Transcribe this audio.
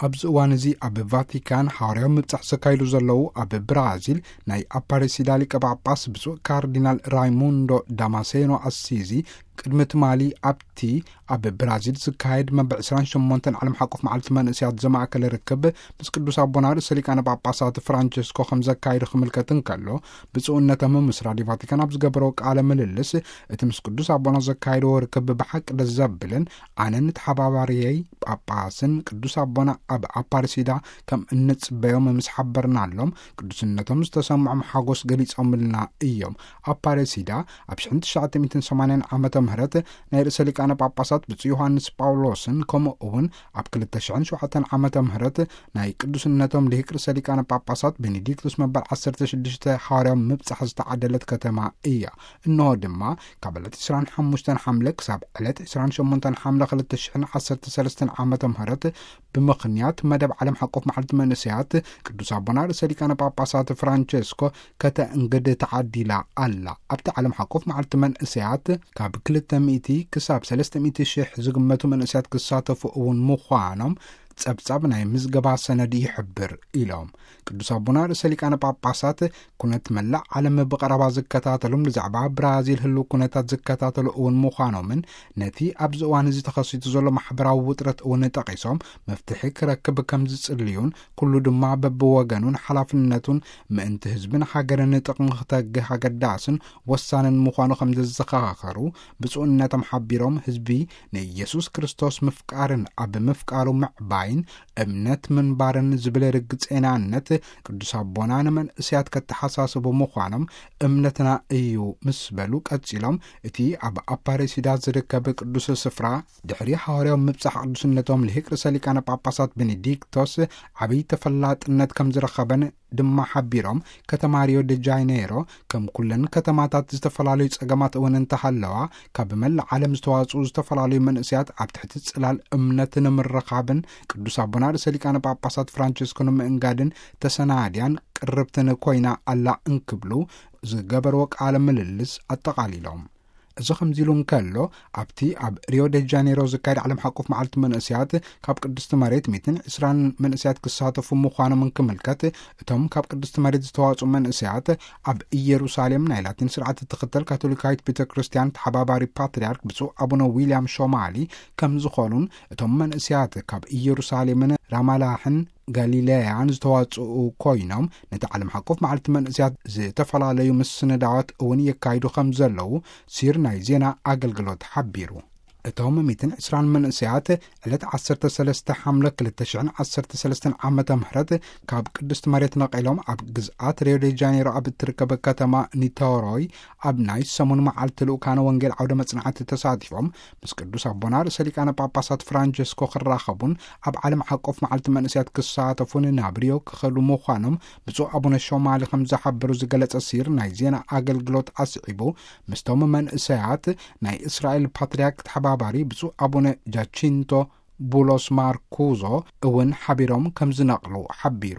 ኣብዚ እዋን እዚ ኣብ ቫቲካን ሓዋርያዊ ምብጻሕ ዘካይዱ ዘለዉ፣ ኣብ ብራዚል ናይ ኣፓሬሲዳ ሊቀ ጳጳስ ብፁዕ ካርዲናል ራይሙንዶ ዳማሴኖ ኣሲዚ፣ ቅድሚ ትማሊ ኣብቲ ኣብ ብራዚል ዝካየድ መበል ዕስራን ሸሞንተን ዓለም ሓቆፍ መዓልቲ መንእስያት ዘማእከለ ርክብ ምስ ቅዱስ ኣቦና ርእሰ ሊቃነ ጳጳሳት ፍራንቸስኮ ከም ዘካየዱ ክምልከት እንከሎ፣ ብፁዕነቶም ምስ ራድዮ ቫቲካን ኣብ ዝገበረው ቃለ ምልልስ፣ እቲ ምስ ቅዱስ ኣቦና ዘካየድዎ ርክብ ብሓቂ ደስ ዘብልን ኣነን ተሓባባሪየይ ጳጳስን ቅዱስ ኣቦና ኣብ ኣፓርሲዳ ከም እንጽበዮም ምስ ሓበርናሎም፣ ቅዱስነቶም ዝተሰምዖም ሓጎስ ገሊጾምልና እዮም። ኣፓርሲዳ ኣብ ሽሕን ትሽዓተ ሚእትን ሰማንያን ዓመተ ምህረት ናይ ርእሰ ሊቃነ ጳጳሳት ብፁዕ ዮሃንስ ጳውሎስን፣ ከምኡ እውን ኣብ ክልተ ሽሕን ሸውዓተን ዓመተ ምህረት ናይ ቅዱስነቶም ልሂቅ ርእሰ ሊቃነ ጳጳሳት ቤኔዲክቱስ መበል ዓሰርተ ሽዱሽተ ሓዋርያዊ ምብጻሕ ዝተዓደለት ከተማ እያ። እንሆ ድማ ካብ ዕለት ዕስራን ሓሙሽተን ሓምለ ክሳብ ዕለት ዕስራን ሸሞንተን ሓምለ ክልተ ሽሕን ዓሰርተ ሰለስተን ዓመተ ምህረት ብምኽንያት መደብ ዓለም ሓቆፍ መዓልቲ መንእሰያት ቅዱስ ኣቦና ርእሰ ሊቃነ ጳጳሳት ፍራንቸስኮ ከተእንግድ ተዓዲላ ኣላ። ኣብቲ ዓለም ሓቆፍ መዓልቲ መንእሰያት ካብ ክልተ ሚእቲ ክሳብ ሰለስተ ሚእቲ ሽሕ ዝግመቱ መንእሰያት ክሳተፉ እውን ምዃኖም ጸብጻብ ናይ ምዝገባ ሰነድ ይሕብር ኢሎም። ቅዱስ ኣቦና ርእሰ ሊቃነ ጳጳሳት ኩነት መላእ ዓለም ብቐረባ ዝከታተሉን ብዛዕባ ብራዚል ህልው ኩነታት ዝከታተሉ እውን ምዃኖምን ነቲ ኣብዚ እዋን እዚ ተኸሲቱ ዘሎ ማሕበራዊ ውጥረት እውን ጠቒሶም መፍትሒ ክረክብ ከም ዝጽልዩን ኩሉ ድማ በብወገኑን ሓላፍነቱን ምእንቲ ህዝብን ሃገርን ጥቕሚ ክተግህ ኣገዳስን ወሳንን ምዃኑ ከም ዘዘኻኸሩ ብፁዕነቶም ሓቢሮም፣ ህዝቢ ንኢየሱስ ክርስቶስ ምፍቃርን ኣብ ምፍቃሩ ምዕባይን እምነት ምንባርን ዝብል ርግጼናነት ቅዱስ ኣቦና ንመንእስያት ከተሓሳስቡ ምዃኖም እምነትና እዩ ምስ በሉ ቀጺሎም፣ እቲ ኣብ ኣፓሬሲዳ ዝርከብ ቅዱስ ስፍራ ድሕሪ ሃዋርያዊ ምብጻሕ ቅዱስነቶም ልሂቅ ርእሰ ሊቃነ ጳጳሳት ቤኔዲክቶስ ዓብይ ተፈላጥነት ከም ዝረኸበን ድማ ሓቢሮም፣ ከተማ ሪዮ ደ ጃኔሮ ከም ኩለን ከተማታት ዝተፈላለዩ ጸገማት እውን እንተሃለዋ፣ ካብ መላእ ዓለም ዝተዋጽኡ ዝተፈላለዩ መንእስያት ኣብ ትሕቲ ጽላል እምነት ንምርኻብን ቅዱስ ኣቦና ርእሰ ሊቃነ ጳጳሳት ፍራንቸስኮ ንምእንጋድን ተሰናድያን ቅርብትን ኮይና ኣላ እንክብሉ ዝገበርዎ ቃለ ምልልስ ኣጠቓሊሎም። እዚ ከምዚ ኢሉ እንከሎ፣ ኣብቲ ኣብ ሪዮ ደ ጃኔሮ ዝካየድ ዓለም ሓቆፍ መዓልቲ መንእስያት ካብ ቅድስቲ መሬት ሚእትን ዕስራን መንእስያት ክሳተፉ ምዃኖም እንክምልከት፣ እቶም ካብ ቅድስቲ መሬት ዝተዋጽኡ መንእስያት ኣብ ኢየሩሳሌም ናይ ላቲን ስርዓት እትኽተል ካቶሊካዊት ቤተ ክርስቲያን ተሓባባሪ ፓትርያርክ ብፁዕ ኣቡነ ዊልያም ሾማሊ ከም ዝኾኑን፣ እቶም መንእስያት ካብ ኢየሩሳሌምን ራማላሕን ጋሊለያን ዝተዋጽኡ ኮይኖም፣ ነቲ ዓለም ሓቆፍ መዓልቲ መንእስያት ዝተፈላለዩ ምስንዳዋት እውን የካይዱ ከም ዘለዉ ሲር ናይ ዜና ኣገልግሎት ሓቢሩ። እቶም ሚእትን ዕስራን መንእስያት ዕለት ዓሰርተ ሰለስተ ሓምለ ክልተ ሽሕን ዓሰርተ ሰለስተን ዓመተ ምህረት ካብ ቅድስቲ መሬት ነቒሎም ኣብ ግዝኣት ሪዮ ደ ጃኔሮ ኣብ እትርከብ ከተማ ኒተሮይ ኣብ ናይ ሰሙን መዓልቲ ልኡካነ ወንጌል ዓውደ መጽናዕቲ ተሳቲፎም፣ ምስ ቅዱስ ኣቦና ርእሰ ሊቃነ ጳጳሳት ፍራንቸስኮ ክራኸቡን ኣብ ዓለም ሓቆፍ መዓልቲ መንእስያት ክሳተፉን ናብ ሪዮ ክኸዱ ምዃኖም ብፁዕ ኣቡነ ሾማሊ ከም ዝሓበሩ ዝገለጸ ሲር ናይ ዜና ኣገልግሎት ኣስዒቡ፣ ምስቶም መንእሰያት ናይ እስራኤል ፓትርያርክ ተሓባባሪ ብፁዕ ኣቡነ ጃቺንቶ ቡሎስ ማርኩዞ እውን ሓቢሮም ከም ዝነቕሉ ሓቢሩ።